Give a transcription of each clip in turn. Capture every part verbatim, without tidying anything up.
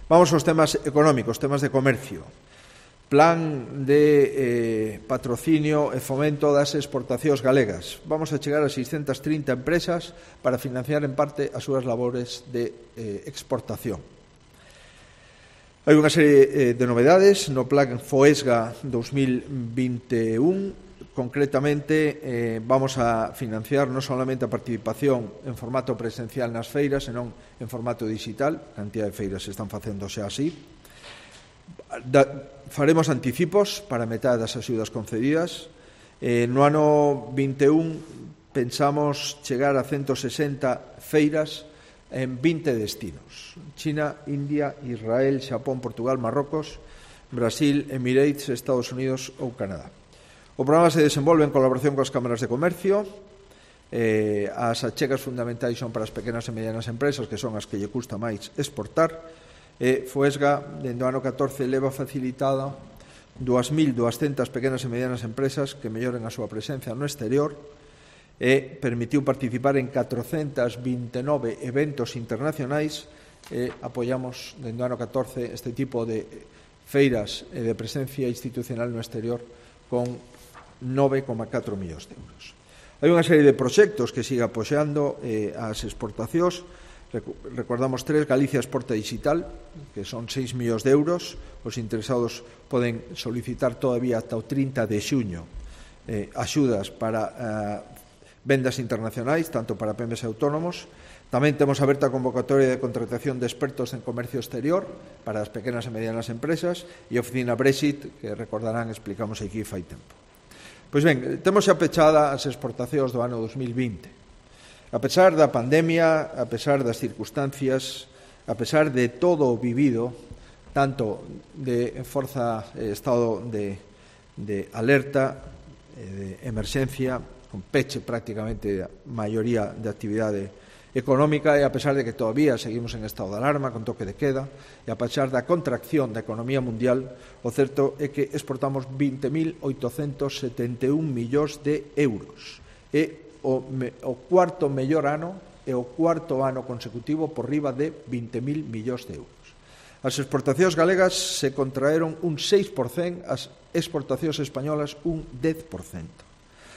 Vamos aos temas económicos, temas de comercio. Plan de eh, patrocinio e fomento das exportacións galegas. Vamos a chegar a seiscentas trinta empresas para financiar en parte as súas labores de eh, exportación. Hai unha serie eh, de novedades no Plan FOESGA dos mil vinte e un. Concretamente, eh, vamos a financiar non solamente a participación en formato presencial nas feiras, senón en formato digital. A cantidad de feiras se están facendo xa así. Da, faremos anticipos para a metade das axudas concedidas. Eh, no ano vinte e un pensamos chegar a ciento sesenta feiras en vinte destinos: China, India, Israel, Xapón, Portugal, Marrocos, Brasil, Emirates, Estados Unidos ou Canadá. O programa se desenvolve en colaboración coas cámaras de comercio. Eh, as achegas fundamentais son para as pequenas e medianas empresas, que son as que lle custa máis exportar. Eh, FOESGA, dende o ano catorce, leva facilitada dúas mil duascentas pequenas e medianas empresas que melloren a súa presencia no exterior e permitiu participar en catrocentos vinte e nove eventos internacionais. E apoiamos, dende o ano catorce, este tipo de feiras e de presencia institucional no exterior con nove coma catro millóns de euros. Hai unha serie de proxectos que siga apoiando eh, as exportacións. Recordamos tres: Galicia Exporta Digital, que son seis millóns de euros. Os interesados poden solicitar todavía ata o trinta de xuño eh, axudas para eh, vendas internacionais, tanto para pemes e autónomos. Tamén temos aberta a convocatoria de contratación de expertos en comercio exterior para as pequenas e medianas empresas, e a oficina Brexit, que recordarán, explicamos aquí fai tempo. Pois ben, temos xa pechada as exportacións do ano dos mil vinte. A pesar da pandemia, a pesar das circunstancias, a pesar de todo o vivido, tanto de forza eh, estado de, de alerta, eh, de emerxencia, con peche prácticamente a maioría de actividade económica, e a pesar de que todavía seguimos en estado de alarma, con toque de queda, e a pesar da contracción da economía mundial, o certo é que exportamos vinte mil oitocentos setenta e un millóns de euros. E o, me, o cuarto mellor ano e o cuarto ano consecutivo por riba de vinte mil millóns de euros. As exportacións galegas se contraeron un seis por cento, as exportacións españolas un dez por cento.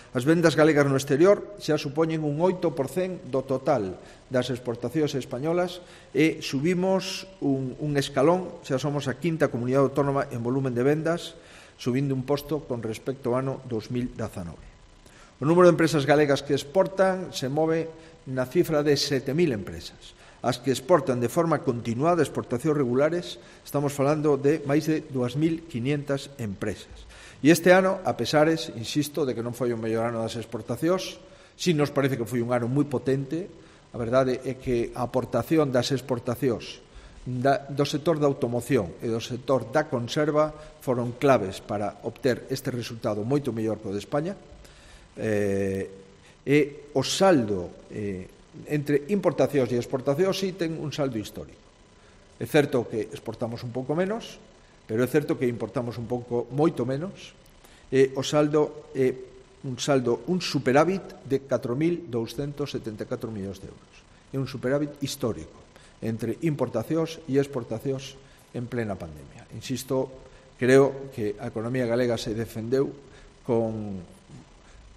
As vendas galegas no exterior xa supoñen un oito por cento do total das exportacións españolas e subimos un, un escalón, xa somos a quinta comunidade autónoma en volumen de vendas, subindo un posto con respecto ao ano dos mil dezanove. O número de empresas galegas que exportan se move na cifra de sete mil empresas. As que exportan de forma continuada, exportacións regulares, estamos falando de máis de dúas mil quinientas empresas. E este ano, a pesares, insisto, de que non foi o mellor ano das exportacións, si nos parece que foi un ano moi potente. A verdade é que a aportación das exportacións da, do sector da automoción e do sector da conserva foron claves para obter este resultado moito mellor que o de España. Eh, e o saldo eh, entre importacións e exportacións si ten un saldo histórico. É certo que exportamos un pouco menos, pero é certo que importamos un pouco moito menos, e o saldo é un saldo, un superávit de catro mil douscentos setenta e catro millóns de euros. É un superávit histórico entre importacións e exportacións en plena pandemia. Insisto, creo que a economía galega se defendeu con,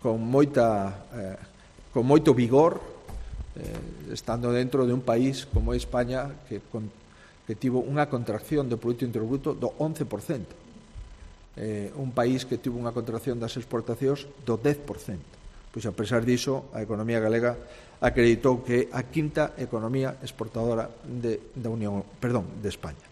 con, moita, eh, con moito vigor, eh, estando dentro de un país como é España, que con que tivo unha contracción do Produto Interior Bruto do once por cento. Eh, un país que tivo unha contracción das exportacións do dez por cento. Pois, a pesar diso, a economía galega acreditou que é a quinta economía exportadora de, da Unión, perdón, de España.